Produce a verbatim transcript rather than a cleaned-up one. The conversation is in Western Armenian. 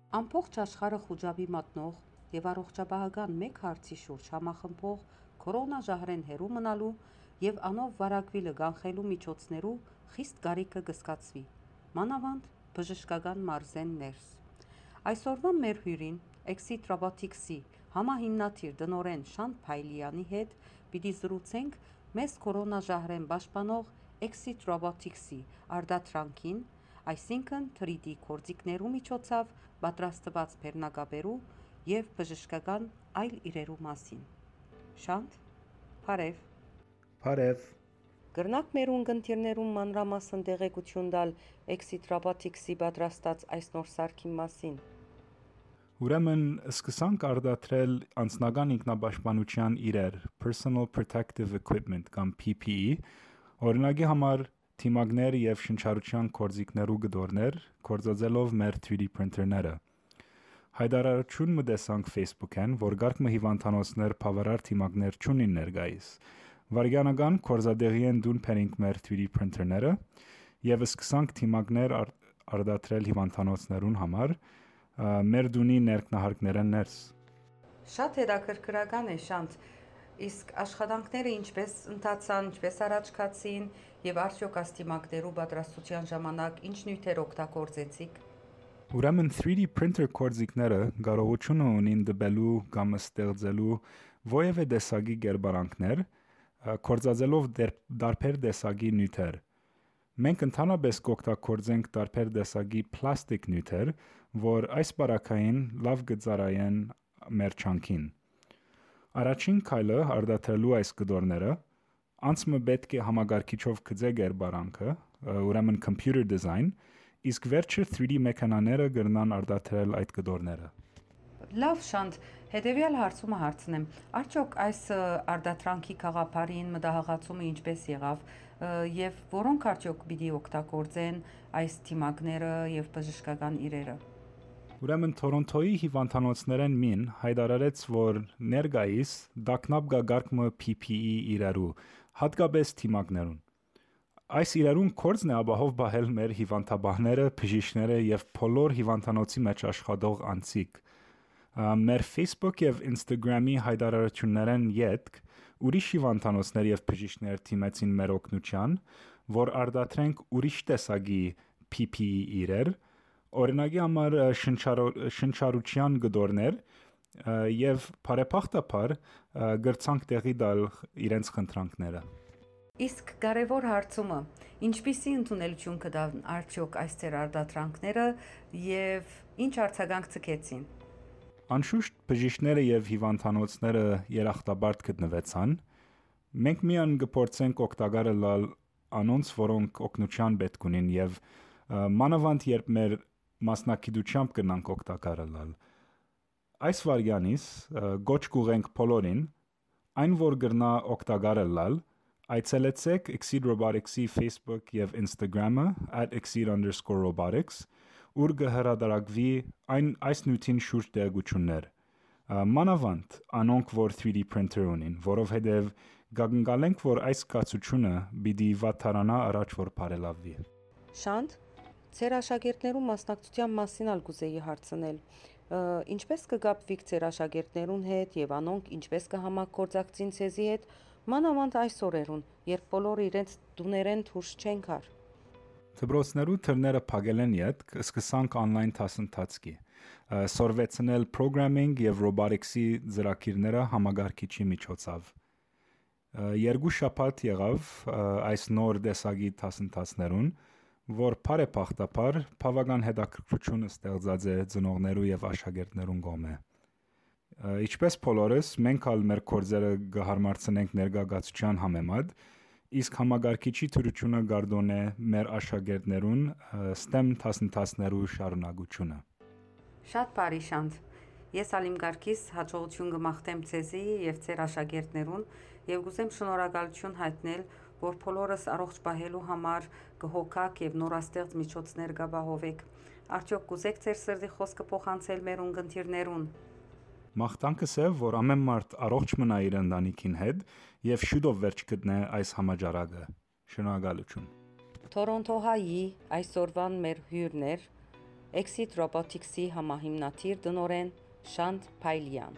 Ամբողջ աշխարհը խուճապի մատնող եւ առողջապահական մէկ հարցի շուրջ համախմբող քորոնա ժահրէն հեռու մնալու եւ անով վարակուիլը կանխելու միջոցներու խիստ կարիքը կը զգացուի, մանաւանդ բժշկական մարզէն ներս։ Այսօրուան մեր հիւրին, Exit Robotics-ի համահիմնադիր տնօրէն Շանթ Փայլիանի հետ պիտի զրուցենք մեզ քորոնա ժահրէն պաշտպանող Exit Robotics-ի արտադրանքին, այսինքն՝ three D գործիքներու միջոցով պատրաստուած բեռնակապերու եւ բժշկական այլ իրերու մասին։ Շանթ, բարեւ։ Բարեւ։ Կրնա՞ք մեր ունկնդիրներուն մանրամասն տեղեկութիւն տալ Exit Robotics-ի պատրաստած այս նոր սարքին մասին։ Ուրեմն, սկսանք արտադրել անձնական ինքնապաշտպանութեան իրեր, personal protective equipment կամ P P E, օրինակի համար՝ թիմակներ եւ շնչառութեան գործիքներու կտորներ, գործածելով մեր three D printer-ները։ Յայտարարութիւն մը տեսանք Facebook-ին, որ կարգ մը հիւանդանոցներ բաւարար թիմակներ չունին ներկայիս։ Վայրկենական գործատեղի են տուն բերինք մեր three D printer-ները եւ սկսանք թիմակներ ար-, արտադրել հիւանդանոցներուն համար, ը, մեր տունի ներքնահարկներէն ներս։ Շատ հետաքրքրական է, Շանթ։ Իսկ աշխատանքները ինչպե՞ս ընթացան, ինչպե՞ս առաջ գացին եւ արդեօք այս թիմակներու պատրաստութեան ժամանակ ինչ նիւթեր օգտագործեցիք։ Ուրեմն, three D printer գործիքները կարողութիւնը ունին տպելու կամ ստեղծելու որեւէ տեսակի կերպարանքներ, ը, գործածելով դեր-, տարբեր տեսակի նիւթեր։ Մենք ընդհանրապէս կօգտագործենք տարբեր տեսակի պլաստիկ նիւթեր, որ այս պարագային լաւ կը ծառայեն մեր ջանքին։ Առաջին քայլը արտադրելու այս կտորները, անց մը պէտք է համակարգիչով գծե կերպարանքը, ը, ուրեմն computer design, իսկ վերջը three D մեքենաները կրնան արտադրել այդ կտորները։ Լաւ, Շանթ, հետեւեալ հարցումը հարցնեմ. արդեօք այս, ը, արտադրանքի գաղափարին մտահղացումը ինչպե՞ս եղաւ, ը, եւ որոնք արդեօք պիտի օգտագործեն այս թիմակները եւ բժշկական իրերը։ Ուրեմն, Թորոնթոյի հիվանդանոցներէն մին յայտարարեց, որ ներկայիս տագնապ կայ կարգ մը P P E իրերու, յատկապէս թիմակներուն։ Այս իրերուն գործն է ապահով պահել մեր հիվանդապահները, բժիշկները եւ բոլոր հիվանդանոցի մէջ աշխատող անձիկ։ Ա, մեր Facebook եւ Instagram-ի յայտարարութիւններէն ետք ուրիշ հիվանդանոցներ եւ բժիշկներ դիմեցին մեր օգնութեան, որ արտադրենք ուրիշ տեսակի P P E իրեր, օրինակի համար, ը, շնչարո-, շնչառութեան կտորներ, ը, եւ բարեբախտաբար, ը, կրցանք տեղի տալ իրենց խնդրանքները։ Իսկ կարեւոր հարցումը, ինչպիսի ընդունելութիւն կը տան արդեօք այս ձեր արտադրանքները եւ ինչ արձագանք ձգեցին։ Անշուշտ, բժիշկները եւ հիվանդանոցները երախտապարտ գտնուեցան։ Մենք միայն կը փորձենք օգտակար ըլլալ անոնց, որոնք օգնութեան պէտք ունին եւ, ը, մանաւանդ երբ մեր մասնագիտութեամբ կրնանք օգտակար ըլլալ։ Այս վայրկեանիս, ը, կոչ կուղենք բոլորին, այն որ կրնայ օգտակար ըլլալ, այցելեցէք Exit Robotics-ի Facebook եւ Instagram-ը at exit underscore robotics, ուր կը հրատարակուի այն, այս նիւթին շուրջ տեղեկութիւններ։ Ա, մանաւանդ անոնք, որ three D printer ունին, որովհետեւ կակնկալենք, որ այս կացութիւնը պիտի վատթարանայ առաջ որ բարելաւուի։ Շանթ, ձեր աշակերտներու մասնակցութեան մասին ալ կուզէի հարցնել։ Ը, ինչպե՞ս կը կապուիք ձեր աշակերտներուն հետ եւ անոնք ինչպե՞ս կը համագործակցին ձեզի հետ, մանաւանդ այս օրերուն, երբ բոլորը իրենց տուներէն դուրս չեն գար։ Դպրոցներու դռները փակելէն ետք սկսանք online դասընթացքի, ը, սորվեցնել programming եւ robotics-ի ծրագիրները համակարգիչի միջոցով։ Ը, երկու շաբաթ եղաւ, ը, այս նոր տեսակի դասընթացներուն, որ բարեբախտաբար բաւական հետաքրքրութիւն ստեղծած է ծնողներու եւ աշակերտներուն կողմէ։ Ը, ինչպէս բոլորս, մենք ալ մեր գործերը կը հարմարցնենք ներկայացուցչական համեմատ, իսկ համակարգիչի դրութիւնը կ'արտօնէ մեր աշակերտներուն, ը, STEM դասընթացներու շարունակութիւնը։ Շատ բարի, Շանթ։ Ես ալ իմ կարգիս յաջողութիւն կը մաղթեմ ձեզի եւ ձեր աշակերտներուն եւ կ'ուզեմ շնորհակալութիւն յայտնել, որ բոլորս առողջ պահելու համար կը հոգաք եւ նորաստեղծ միջոցներ կ'ապահովէք։ Արդեօք կ'ուզէք ձեր սրտի խօսքը փոխանցել մեր ունկնդիրներուն։ Մաղթանքս է, որ ամէն մարդ առողջ մնայ իր ընտանիքին հետ եւ շուտով վերջ գտնէ այս համաճարակը։ Շնորհակալութիւն։ Թորոնթոյի այսօրուան մեր հիւրն էր Exit Robotics-ի համահիմնադիր տնօրէն Շանթ Փայլեան։